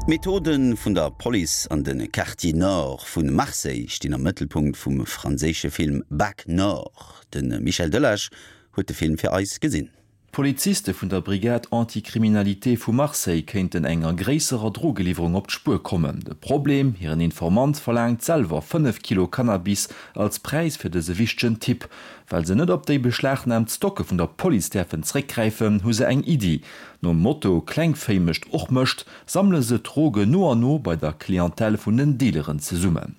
D'Methode vun der Police an de Quartiers Nord vu Marseille stinn am Mëttelpunkt vum franséische Film Bac Nord. De Michel Delage huet de Film fir eis gesinn. D'Poliziste vun der Brigade anti-criminalité vu Marseille kéinten enger gréisserer Drogeliwwerung op d'Spuer kommen. De Problem, Hiren Informant verlaangt selwer 5 Kilo Cannabis als Präis fir dëse wichtegen Tipp. Well se net op déi beschlagnaamt Stocke vun der Police däerfen zréckgräifen, hu se eng Iddi. Nom Motto Klengvéi mécht och Mëscht sammele se d'Droge no an no bei der Clientèle vun den Dealeren zesummen.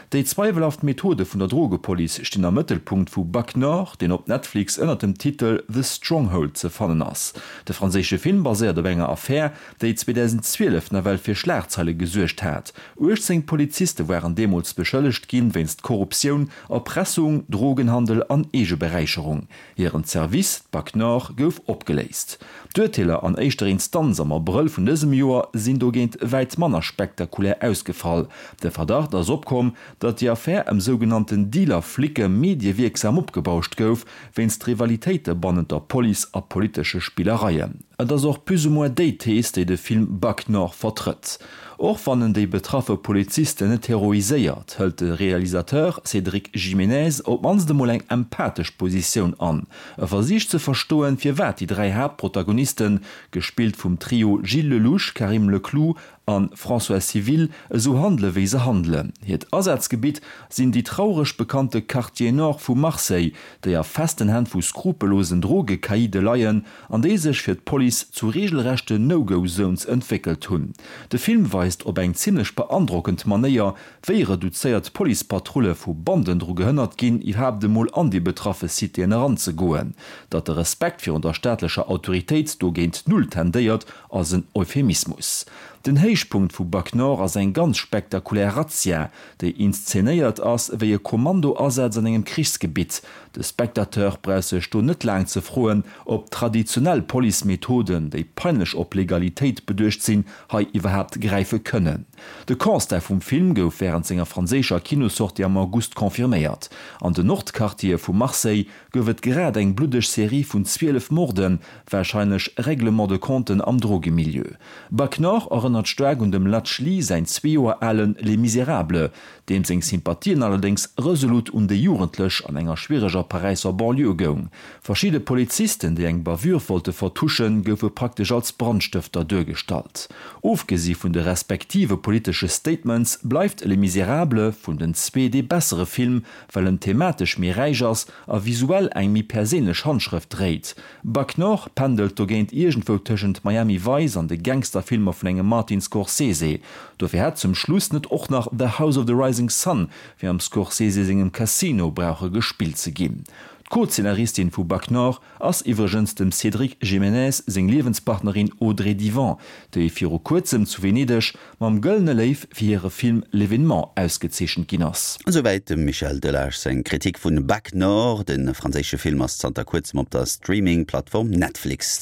Déi zweiwelhaft Methode vun der Drogepolice stinn am Mëttelpunkt vu Bac Nord, deen op Netflix ënner dem Titel The Stronghold ze fannen ass. De franséische Film baséiert op enger Affär, déi 2012 nawell fir Schlagzeile gesuergt hat. 18 Poliziste waren deemools beschëllegt ginn, wéinst Korruptioun, Erpressung, Drogenhandel an Eegeberäicherung. Hiren Service, d'Bac Nord, gouf opgeléist. D'Urteeler an éischter Instanz am Abrëll vun dësem Joer sinn dogéint wäit manner spektakulär ausgefall. De Verdacht ass opkomm, datt déi Affär ëm sougenannten Dealer-Flicke mediewierksam opgebauscht gouf, wéinst Rivalitéite bannent der Police a politesche Spillereien. Et ass och plus ou moins déi Thees, déi de Film Bac Nord vertrëtt. Och wann en déi betraffe Polizisten net heroiséiert, hëlt de Realisateur Cédric Jimenez op d'mannst emol eng empathesch Positioun an. E versicht ze verstoen, firwat déi 3 Haaptprotagonisten, gespillt vum Trio Gilles Lellouche, Karim Leklou a François Civil, esou handele wéi se handelen. Hiert Asazgebitt sinn déi traureg bekannte Quartiers Nord vu Marseille, déi a festen Hänn vu skrupellosen Drogecaïde leien an déi sech fir d'Police zu regelrechte No-Go-Zones entwéckelt hunn. De Film weist op eng zimmlech beandrockend Manéier, wéi reduzéiert Policepatrulle vu Banden dru gehënnert ginn, iwwerhaapt emol an déi betraffe Citéen eranzegoen. Datt de Respekt virun der staatlecher Autoritéit do géint Null tendéiert, ass en Euphemismus. Den Héichpunkt vu Bac Nord ass eng ganz spektakulär Razzia, déi inszenéiert ass wéi e Kommandoasaz an engem Krichsgebitt. De Spectateur brauch sech do net laang ze froen, ob traditionell Police-Methoden, déi peinlech op Legalitéit beduecht sinn, hei iwwerhaapt gräife kënnen. De Constat vum Film gouf wärend senger franséischer Kinossortie am August confirméiert. An den Nordquartiere vu Marseille gouf et grad eng bluddeg Serie vun 12 Morden, warscheinlech Règlement de compten am Drogemilieu. Bac Nord erënnert staark un dem Ladj Ly säin zwee Joer alen Les Misérables, deem seng Sympathien allerdéngs resolut un déi Jugendlech an enger schwiereger Paräisser Banlieue goung. Verschidde Polizisten, déi eng Bavure wollte vertuschen, goufe praktesch als Brandstëfter duergestallt. Ofgesi vun de respektive politesche Statements bleift Les Misérables vun den zwee dee bessere Film, well en thematesch méi räich ass a visuell eng méi perséinlech Handschrëft dréit. Bac Nord pendelt dogéint iergendwou tëschent Miami Vice an de Gangsterfilmer vun engem Martin Scorsese. Dofir hätt zum Schluss net och nach The House of the Rising Sun, wéi am Scorsese sengem Casino, brauche gespillt ze ginn. D'Co-Zeenaristin vu Bac Nord ass iwwregens dem Cédric Jimenez seng Liewenspartnerin Audrey Diwan, déi viru kuerzem zu Venedeg mam Gëllene Léiw fir hire Film L'événement ausgezeechent ginn ass. Esouwäit dem Michel Delage seng Kritik vun Bac Nord. De franséische Film ass zanter kuerzem op der Streaming-Plattform Netflix.